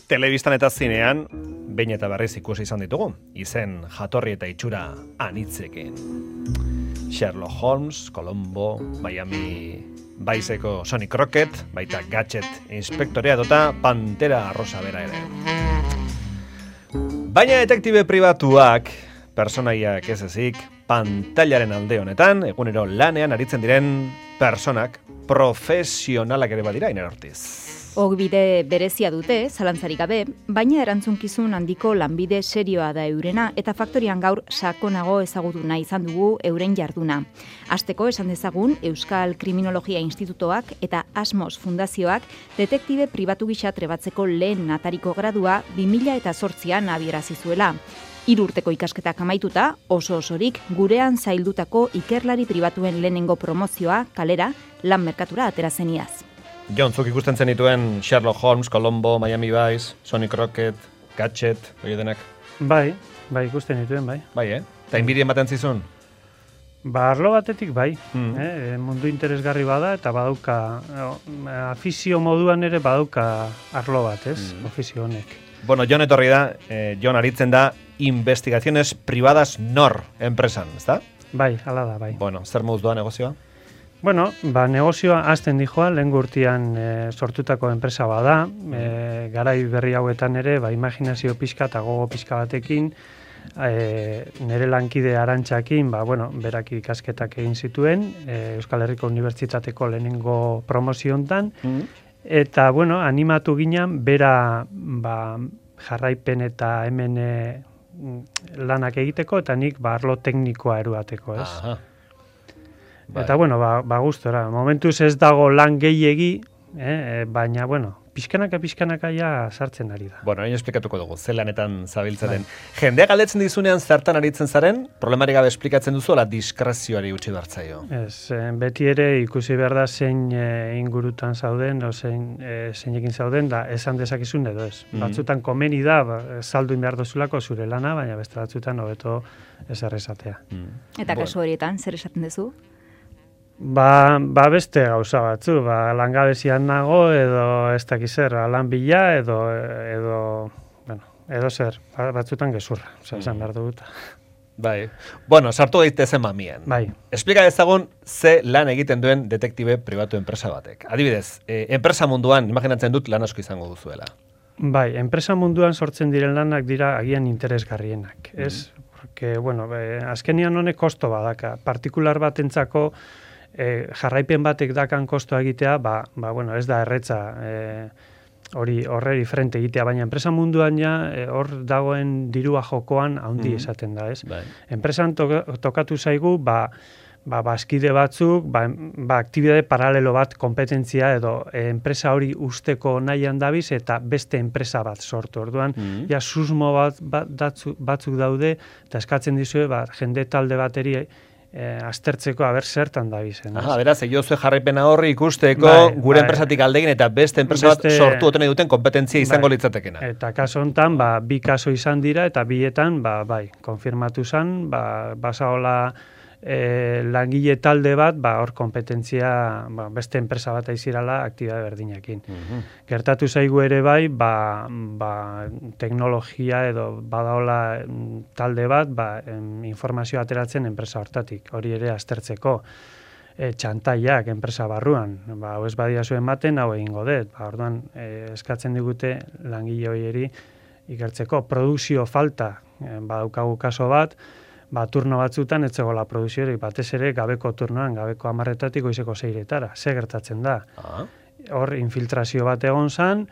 Telebistan eta zinean, behin eta berriz ikusi izan ditugu, izen jatorri eta itxura anitzekin. Sherlock Holmes, Columbo, Miami Vice-eko Sonny Crockett, baita Gadget inspektorea dota Pantera Rosa bera ere. Baina detektibe pribatuak, personaiak ez ezik, pantailaren alde honetan, egunero lanean aritzen diren personak, profesionalak ere badira, Iner Ortiz. Ogbide berezia dute, zalantzarik gabe, baina erantzunkizun handiko lanbide serioa da eurena eta faktorian gaur sakonago ezagutu nahi izan dugu euren jarduna. Hasteko esan dezagun Euskal Kriminologia Institutoak eta Asmos Fundazioak detektibe pribatu gisa trebatzeko lehen atariko gradua 2008an abiarazi zuela. 3 urteko ikasketak amaituta, oso-osorik gurean zaildutako ikerlari pribatuen lehenengo promozioa kalera lan merkatura atera zeniaz. Jon, zuk ikusten zenituen Sherlock Holmes, Columbo, Miami Vice, Sonny Crockett, Gadget, hori denak? Bai, ikusten dituen, bai. Bai, Eta inbirien baten zizun? Arlo batetik bai, mundu interesgarri bada eta badauka, afizio moduan ere badauka arlo bat, ofizio honek. Bueno, Jon etorri da, Jon aritzen da investigaciones privadas nor enpresan, ezta? Bai, hala da, bai. Bueno, zer moduz doa negozioa? Bueno, negozioa hasten dijoa, lehen urtean sortutako enpresa bada, garai berri hauetan ere, imaginazio pixka eta gogo pixka batekin, nire lankide Arantxakin, berak ikasketak egin zituen, Euskal Herriko Unibertsitateko lehenengo promoziontan, eta, animatu ginen, bera, jarraipen eta hemen lanak egiteko, eta nik, arlo teknikoa eruateko, ez? Aha. Eta, gustora. Momentuz ez dago lan gehiegi, baina, pixkanaka ja sartzen ari da. Bueno, hain esplikatuko dugu, ze lanetan zabiltzaren. Jendea galdetzen dizunean zertan aritzen zaren, problemari gabe esplikatzen duzu, ala diskrezioari utzi bertzaio. Ez, beti ere ikusi behar da zein ingurutan zauden, o zeinekin zauden, da esan dezakizun edo ez. Batzutan komeni da, salduin behar dozulako zure lana, baina beste batzutan hobeto ez errezatea. Eta kasu horietan, zer esaten duzu? Beste gauza batzu, langabezian nago edo ez dakiz zer, lan bila edo zer, batzutan gezurra, esan behar dut. Bai. Bueno, sartu daitezen mamien. Bai. Esplika dezagun ze lan egiten duen detektibe pribatu enpresa batek. Adibidez, enpresa munduan, imaginatzen dut lan asko izango duzuela. Bai, enpresa munduan sortzen diren lanak dira agian interesgarrienak, ez? Porque, azkenian honek kosto badaka. Partikular batentzako jarraipen batek dakan kostoa egitea, ez da erretza horreri frente egitea, baina enpresa munduan hor dagoen dirua jokoan handi esaten da, ez? Bai. Enpresan tokatu zaigu, bazkide batzuk, aktibidade paralelo bat, kompetentzia edo enpresa hori usteko nahian dabiz eta beste enpresa bat sortu. Orduan, susmo batzuk daude, eta eskatzen dizue, jende talde bateri aztertzeko aber zertan dabizen. Aha, beraz, egozue jarraipena horri ikusteko gure enpresatik aldegin eta beste enpresa bat sortu oten duten kompetentzia izango litzatekena. Eta kaso hontan, 2 kaso izan dira eta bietan, konfirmatu zen, basaola langile talde bat, hor kompetentzia beste enpresa bat aizirala aktibitate berdinekin. Gertatu zaigu ere teknologia edo badaola talde bat, informazio ateratzen enpresa hortatik, hori ere aztertzeko. Txantaiak enpresa barruan, hau ez badia zuen ematen, hau egingo dut. Orduan, eskatzen digute langile horieri ikertzeko. Produkzio falta, badaukagu kaso bat, turno batzutan etzegola produziorik, batez ere gabeko turnoan, gabeko 10:00 goizeko 6:00. Ze gertatzen da? Hor infiltrazio bat egon zan,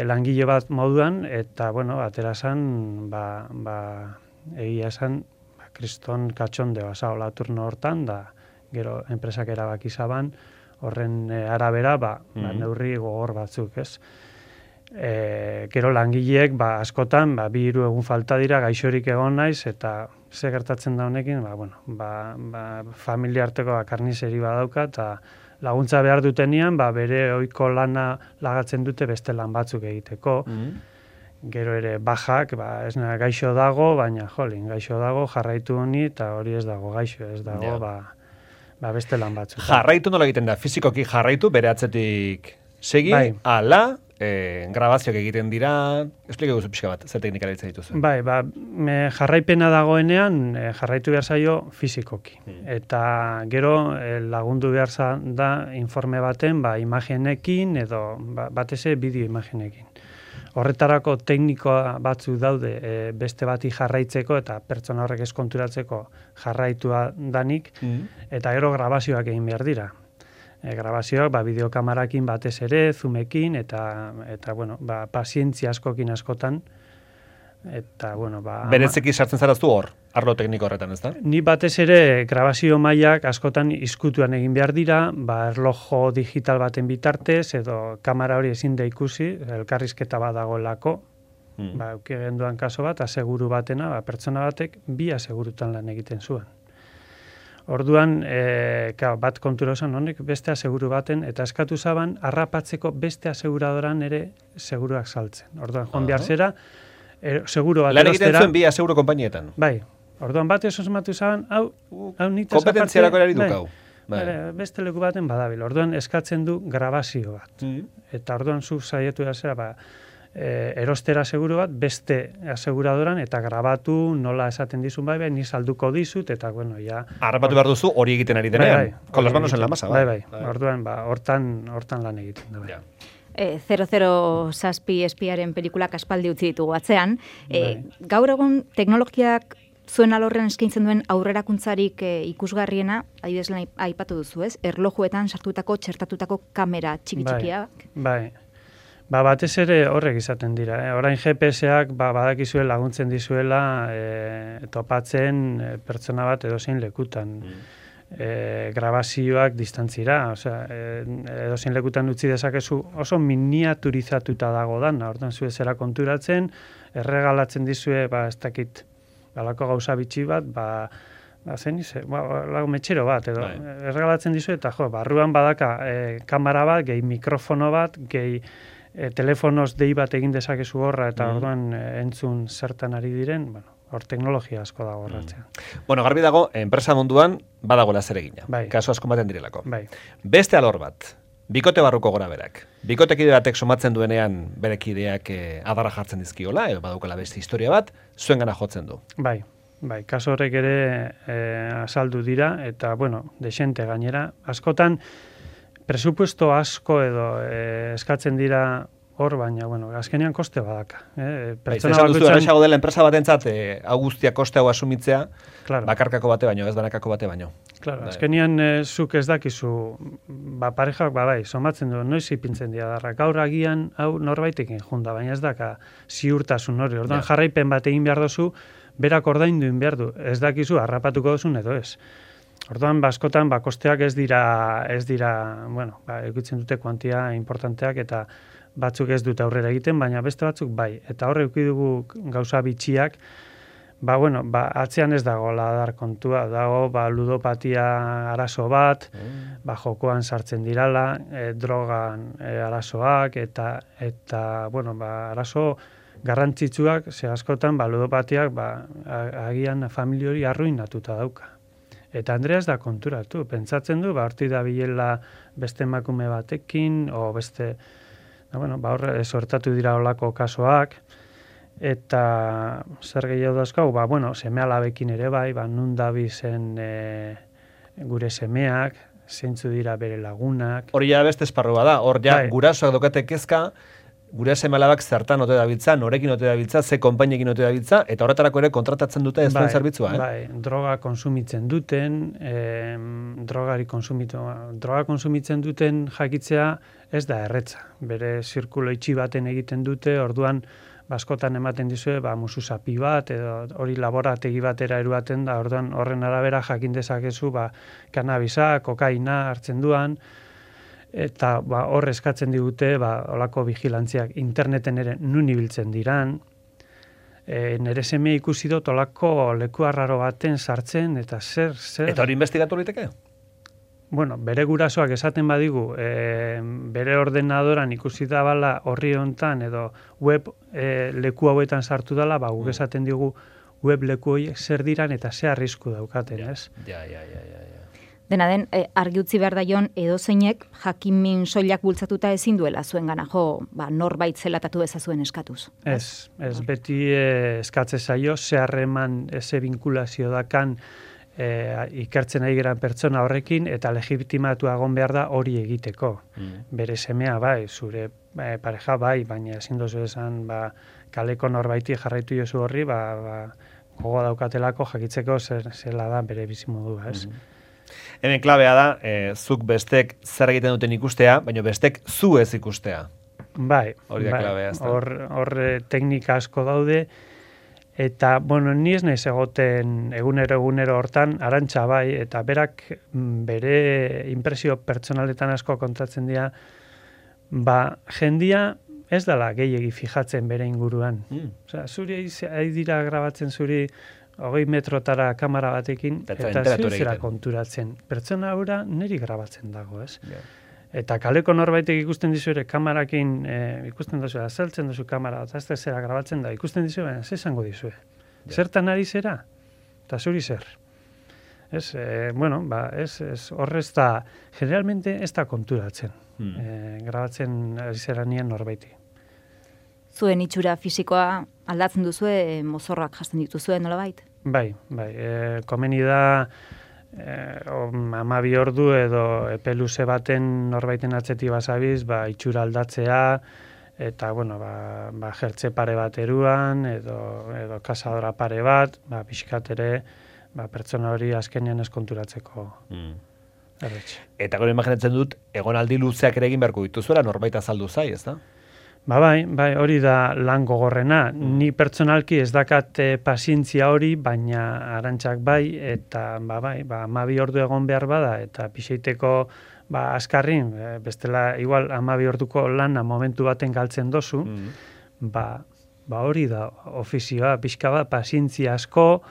langile bat moduan, eta, atera zan, egia zan, kriston katxonde basaola turno hortan, da, gero enpresak erabaki zaban, horren arabera, neurri gogor batzuk, ez? Gero langileek, askotan, 2-3 egun falta dira, gaixorik egon naiz, eta ze gertatzen da honekin, familia arteko karnizeri badauka, eta laguntza behar dutenian, bere ohiko lana lagatzen dute beste lan batzuk egiteko. Gero ere bajak, ez gaixo dago, baina gaixo dago, jarraitu honi, eta hori ez dago gaixo, ez dago, beste lan batzuk. Jarraitu nola egiten da, fizikoki jarraitu, bere atzetik segi, ala, grabazioak egiten dira, esplike guzu pixka bat, zer teknika erabiltzen dituzu? Bai, jarraipena dagoenean jarraitu behar zaio fizikoki. Eta gero lagundu behar da informe baten imagenekin edo batez bideo imagenekin. Horretarako teknikoa batzu daude beste bati jarraitzeko eta pertsona horrek eskonturatzeko jarraitua danik, eta gero grabazioak egin behar dira. Grabazioak bideokamarakin batez ere, zoomekin, eta bueno, pazientzia askokin askotan, eta bueno, Berezeki sartzen zaraztu hor, arlo tekniko horretan, ez da? Ni batez ere grabazio mailak askotan izkutuan egin behar dira, erlojo digital baten bitartez, edo kamera hori ezin da ikusi, elkarrizketa bat dagoelako, eukigenduan kaso bat, aseguru batena, pertsona batek bi asegurutan lan egiten zuen. Orduan, bat kontura osan honek beste aseguru baten, eta eskatu zaban, harrapatzeko beste aseguradoran ere seguruak saltzen. Orduan, joan behar zera, seguro bat lan egiten zuen bi aseguro konpainietan. Bai, orduan bat esosmatu zaban, hau nitaz aparte... Kompetentziarako erari dukau. Beste leku baten badabil. Orduan, eskatzen du grabazio bat. Eta orduan, zu saietu da zera, erostera seguru bat, beste aseguradoran, eta grabatu nola esaten dizun ni salduko dizut, eta bueno, ja... Harrapatu behar duzu hori egiten ari denean. Con las manos en la masa, bai. Orduan, hortan lan egiten da, bai. 007 espiaren pelikulak aspaldi utzi ditugu atzean. Gaur egun teknologiak zuen alorrean eskaintzen duen aurrerakuntzarik ikusgarriena, adibidez aipatu duzu, ez? Erlojuetan sartutako, txertatutako kamera txiki-txikiak. Bai. Batez ere horrek izaten dira. Orain GPS-ak badakizue laguntzen dizuela topatzen pertsona bat edozein lekutan. Grabazioak distantzira, edozein lekutan utzi dezakezu oso miniaturizatuta dago dana, ordan zue zera konturatzen, erregalatzen dizue, ez dakit, balako gauza bitxi bat, lago metxero bat, edo erregalatzen dizue, eta barruan badaka kamera bat, gehi mikrofono bat, gehi telefonoz dei bat egin dezakezu horra, eta orduan entzun zertan ari diren, hor teknologia asko dago horratzean. Bueno, garbi dago, enpresa munduan badagoela zer egina. Kasu asko baten direlako. Beste alor bat, bikote barruko gora berak. Bikotekide batek somatzen duenean berekideak adarra jartzen dizkiola, edo badaukala beste historia bat, zuen gana jotzen du. Bai, kasu horrek ere azaldu dira, eta, desente gainera. Askotan, presupuesto asko edo eskatzen dira hor, baina, azkenean koste badaka. Esan duzu, erresago dela enpresa batentzat, guztia koste hau asumitzea, bakarkako bate baino, ez banakako bate baino. Claro, azkenean zuk ez dakizu, parejak somatzen du, noiz ipintzen dira darra. Gaur agian, hau norbaitekin junda, baina ez daka ziurtasun hori. Orduan jarraipen bat egin behar dozu, berak ordaindu egin behar du. Ez dakizu, harrapatuko duzun edo ez. Orduan, askotan, kosteak ez dira, eukitzen dute kuantia importanteak, eta batzuk ez dute aurrera egiten, baina beste batzuk bai. Eta horre dugu gauza bitxiak, atzean ez dago ladar kontua, dago ludopatia arazo bat, jokoan sartzen dirala, drogan arazoak, eta arazo garrantzitsuak, ze askotan, ludopatiak, agian familia hori arruinatuta dauka. Eta Andrea ez da konturatu, pentsatzen du, horti da bilela beste emakume batekin, o beste, horre sortatu dira olako kasoak, eta zer gehiago dazkau, seme alabekin ere bai, nun dabizen gure semeak, zeintzu dira bere lagunak. Hori ja beste esparrua da, hor ja gurasoak dokate kezka, gure seme alabak zertan ote dabiltza, norekin ote dabiltza, ze konpainiekin ote dabiltza, eta horretarako ere kontratatzen dute ez duen zerbitzua. Droga konsumitzen duten, droga konsumitzen duten jakitzea ez da erretza. Bere zirkulo itxi baten egiten dute, orduan askotan ematen dizue, musu zapi bat, edo hori laborategi batera eruaten da, orduan horren arabera jakin dezakezu, kanabisa, kokaina hartzen duan, eta hor eskatzen digute olako vigilantziak interneten ere nun ibiltzen diran. Nere seme ikusi dut olako leku arraro baten sartzen, eta zer... Eta hori investigatu liteke? Bere gurasoak esaten badigu, bere ordenadoran ikusi da bala horri hontan, edo web leku hauetan sartu dela, guk esaten digu web leku horiek zer diran eta ze arrisku daukaten, ez? Ja. Dena den, argi utzi behar daion edozeinek jakinmin soilak bultzatuta ezin duela zuengana jo, norbait zelatatu ezazuen eskatuz. Ez beti eskatze zaio, ze harreman, ze vinkulazio dakan ikertzen ari geran pertsona horrekin, eta legitimatu egon behar da hori egiteko. Bere semea bai, zure pareja bai, baina ezin dozu esan kaleko norbaiti jarraitu jozu horri, gogoa daukatelako jakitzeko zela da bere bizimodua, ez? Hemen klabea da, zuk bestek zer egiten duten ikustea, baina bestek zu ez ikustea. Bai, hori da klabea, ez da. Hor teknika asko daude, eta, ni ez naiz egoten egunero hortan, Arantxa bai, eta berak bere impresio pertsonaletan asko kontatzen dira, jendia ez dela gehiegi fijatzen bere inguruan. Osea, zuri ari dira grabatzen zuri 20 metrotara kamera batekin, eta zuzera konturatzen. Pertsona hura niri grabatzen dago, ez? Yeah. Eta kaleko norbaitek ikusten dizu ere kamerakin, ikusten duzu, azaltzen duzu kamera, eta ez zera grabatzen da, ikusten dizu, baina ze esango dizue. Yeah. Zertan ari zera? Eta zuri zer? Ez, horrez da, generalmente ez da konturatzen. Grabatzen ari zera nien norbaiti. Zuen itxura fisikoa aldatzen duzue, mozorrak jasten dituzue, nolabait? Bai, komeni da 12 ordu edo epe luze baten norbaiten atzetik basabiz, itxura aldatzea, eta, jertze pare bat eruan, edo kasadora pare bat, pixkat ere, pertsona hori azkenean eskonturatzeko. Eta gero imaginatzen dut, egonaldi luzeak ere egin beharko dituzuela, norbait azaldu zai, ez da? Bai, hori da lan gogorrena. Ni pertsonalki ez dakat pazientzia hori, baina Arantxak bai, eta 12 ordu egon behar bada, eta pixeiteko askarrin, bestela igual 12 orduko lana momentu baten galtzen dozu, hori da ofizioa, pixka bat, pazientzia asko,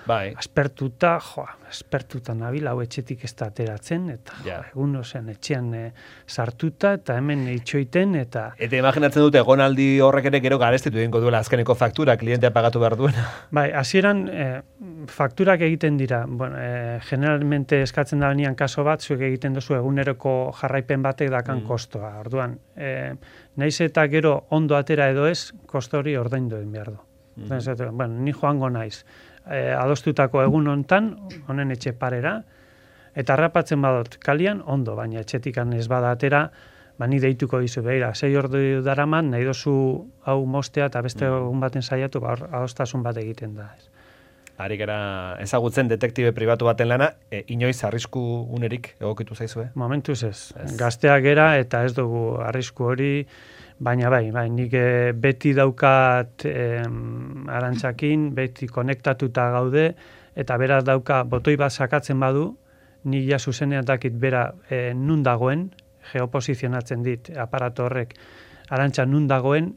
aspertuta nabil, hau etxetik ez da ateratzen, eta egun ozean etxean sartuta, eta hemen itxoiten, eta... Eta imaginatzen dute, egonaldi horrek ere gero garestitu egingo duela azkeneko faktura, klientea pagatu behar duena. Bai, hasieran fakturak egiten dira, generalmente eskatzen da nian kaso bat, zuek egiten duzu eguneroko jarraipen batek dakan kostoa, orduan, naiz eta gero ondo atera edo ez, kosto hori ordaindu egin behar du. Ni joango naiz. Adostutako egun hontan, honen etxe parera, eta harrapatzen badot kalian, ondo, baina etxetikan ez bada atera, ni deituko dizu, behira, 6 ordu daraman, nahi dozu hau mostea eta beste egun baten saiatu, adostasun bat egiten da. Ari gara ezagutzen detektibe pribatu baten lana, inoiz arrisku unerik egokitu zaizue? Momentuz ez. Gazteak gera eta ez dugu arrisku hori, baina nik beti daukat Arantxakin, beti konektatuta gaude, eta beraz dauka botoi bat sakatzen badu, ni ja zuzenean dakit bera nun dagoen, geoposizionatzen dit aparato horrek, Arantxa nun dagoen,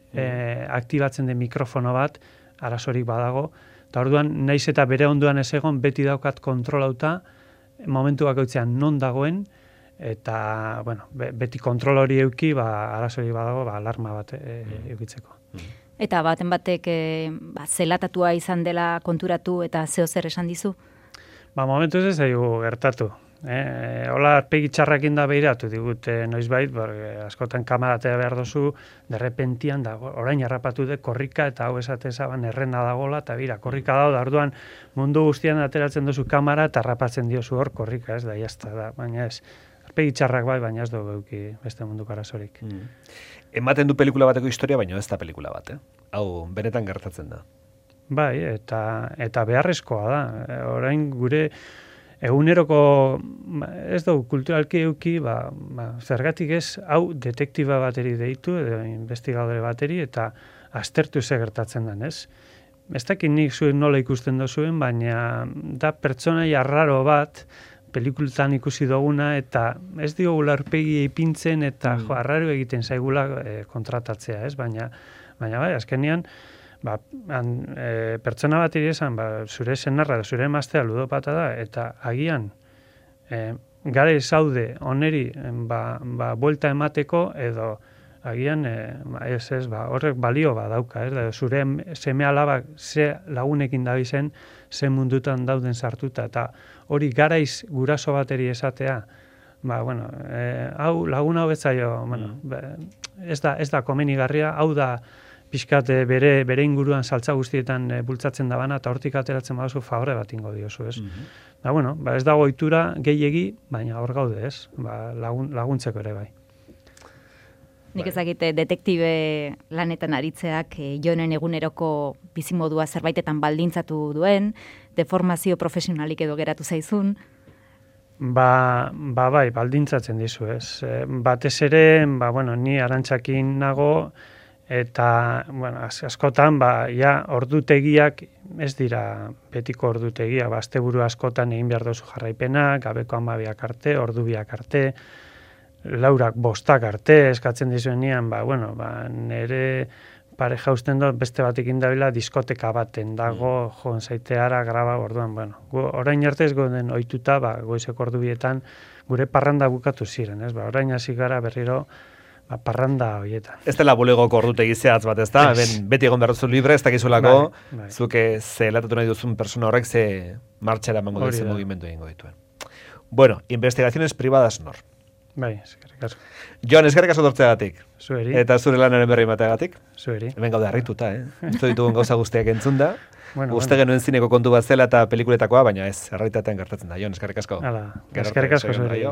aktibatzen den mikrofono bat, arazorik badago, eta orduan, naiz eta bere onduan ez egon, beti daukat kontrolauta, momentu bakoitzean non dagoen, eta, beti kontrol hori euki, arazorik badago, alarma bat eukitzeko. Eta baten batek zelatatua izan dela konturatu eta zeo zer esan dizu? Momentu ez zaigu gertatu. Hola, arpegi txarrakin da behiratu digut noizbait, askotan kamaratea behar dozu, derrepentian da, orain harrapatu de korrika, eta hau esate zaban errena dagola, eta bira, korrika da, orduan mundu guztian ateratzen dozu kamara, eta harrapatzen diozu hor korrika, ez da, jazta da, baina ez, arpegi txarrak bai, baina ez dugu euki beste munduko arazorik. Ematen du pelikula bateko historia, baina ez da pelikula bat, hau benetan gertatzen da. Bai, eta beharrezkoa da, orain gure eguneroko ez dugu kulturalki euki, zergatik ez, hau detektiba bateri deitu, edo investigadore bateri, eta aztertu ze gertatzen den, ez? Ez dakit nik zuen nola ikusten dozuen, baina da pertsonai arraro bat, pelikuletan ikusi duguna, eta ez digula aurpegi ipintzen, eta arraro egiten zaigula kontratatzea, ez? Baina azkenean, pertsona bat esan, zure senarra, zure emaztea ludopata da, eta agian gare zaude oneri buelta emateko, edo agian, horrek balio badauka, da, zure seme alabak ze lagunekin dabizen, ze mundutan dauden sartuta, eta hori garaiz guraso bateri esatea, hau lagun hau betzaio, ez da komenigarria, hau da pixkat bere inguruan saltza guztietan bultzatzen dabana, eta hortik ateratzen baduzu favore bat ingo diozu, ez? Ez dago ohitura gehiegi, baina hor gaude, ez? Laguntzeko ere bai. Nik ezagite detektibe lanetan aritzeak Jonen eguneroko bizimodua zerbaitetan baldintzatu duen, deformazio profesionalik edo geratu zaizun. Bai, baldintzatzen dizu, ez. Batez ere, ni Arantxakin nago, eta, askotan, ordutegiak ez dira betiko ordutegia, asteburu askotan egin behar dozu jarraipenak, gabeko 12 arte, ordu 2 arte, laurak 5 arte, eskatzen dizuenean, nire pareja usten dut beste batekin dabila diskoteka baten dago, joan zaiteara graba, orduan, orain arte ez goden ohituta, goizeko ordu 2etan gure parranda bukatu ziren, ez? Orain hasi gara berriro parranda horietan. Ez dela bulegoko ordutegi zehatz bat, ez da? Beti egon behar duzu libre, ez dakizulako, zuke zelatatu nahi duzun persona horrek ze martxera emango dizu mugimendu egingo dituen. Bueno, investigaciones privadas nor. Bai, eskerrik asko. Jon, eskerrik asko tortzeagatik. Zueri. Eta zure lanaren berri emateagatik. Zueri. Hemen gaude harrituta, Ez ditugun gauza guztiak entzunda. Uste genuen zineko kontu bat zela eta pelikuletakoa, baina ez, errealitatean gertatzen da. Jon, eskerrik asko. Eskerrik asko zueri.